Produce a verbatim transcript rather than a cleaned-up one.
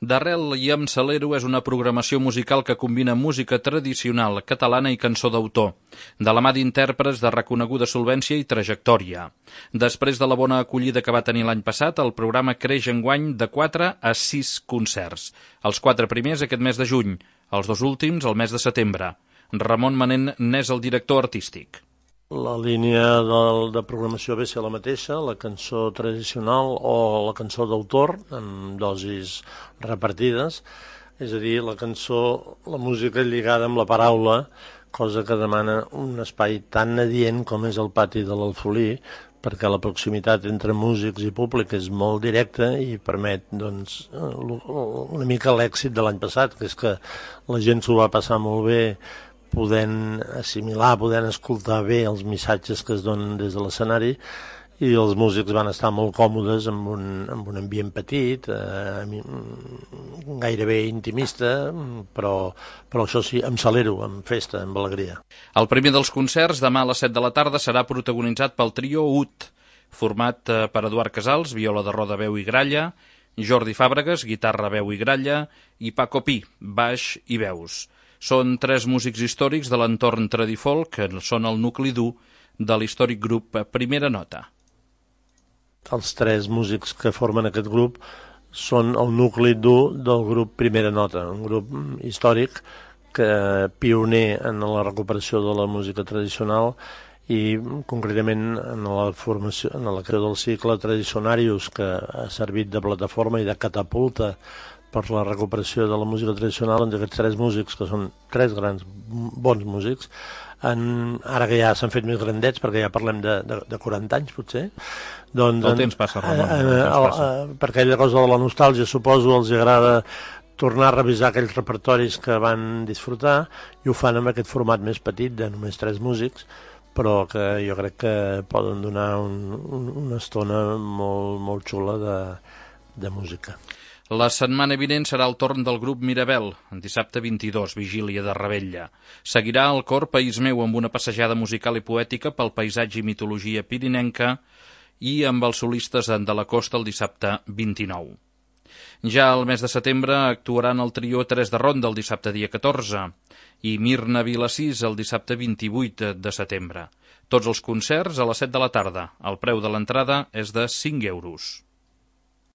D'Arrel i amb Salero és una programació musical que combina música tradicional catalana i cançó d'autor, de la mà d'intèrprets de reconeguda solvència i trajectòria. Després de la bona acollida que va tenir l'any passat, el programa creix enguany de quatre a sis concerts. Els quatre primers aquest mes de juny, els dos últims el mes de setembre. Ramon Manent n'és el director artístic. La línia de, de programació ve ser la mateixa, la cançó tradicional o la cançó d'autor, amb dosis repartides, és a dir, la cançó, la música lligada amb la paraula, cosa que demana un espai tan adient com és el pati de l'Alfolí, perquè la proximitat entre músics i públic és molt directa i permet doncs, una mica l'èxit de l'any passat, que és que la gent s'ho va passar molt bé, podent assimilar, podent escoltar bé els missatges que es donen des de l'escenari, i els músics van estar molt còmodes amb un, amb un ambient petit, eh, gairebé intimista, però, però això sí, amb salero, amb festa, amb alegria. El primer dels concerts, demà a les set de la tarda, serà protagonitzat pel trio U T, format per Eduard Casals, viola de roda, veu i gralla, Jordi Fàbregas, guitarra, veu i gralla, i Paco Pi, baix i veus. Són tres músics històrics de l'entorn tradifolk, que són el nucli dur de l'històric grup Primera Nota. Els tres músics que formen aquest grup són el nucli dur del grup Primera Nota, un grup històric que pioner en la recuperació de la música tradicional i concretament en la formació, en la creació del cicle Tradicionarius, que ha servit de plataforma i de catapulta per la recuperació de la música tradicional. Doncs aquests tres músics, que són tres grans bons músics, en, ara que ja s'han fet més grandets, perquè ja parlem de, de, de quaranta anys potser, doncs, el temps passa, Ramon, eh, el temps passa. Eh, per aquella cosa de la nostàlgia, suposo, els agrada tornar a revisar aquells repertoris que van disfrutar, i ho fan amb aquest format més petit de només tres músics, però que jo crec que poden donar un, un, una estona molt, molt xula de, de música. La setmana vinent serà el torn del grup Mirabel, dissabte vint-i-dos, vigília de Revetlla. Seguirà el cor País Meu amb una passejada musical i poètica pel paisatge i mitologia pirinenca i amb els solistes de la costa el dissabte vint-i-nou. Ja al mes de setembre actuaran el trio Tres de Ronda el dissabte dia catorze i Mirna Vilassís el dissabte vint-i-vuit de setembre. Tots els concerts a les set de la tarda. El preu de l'entrada és de cinc euros.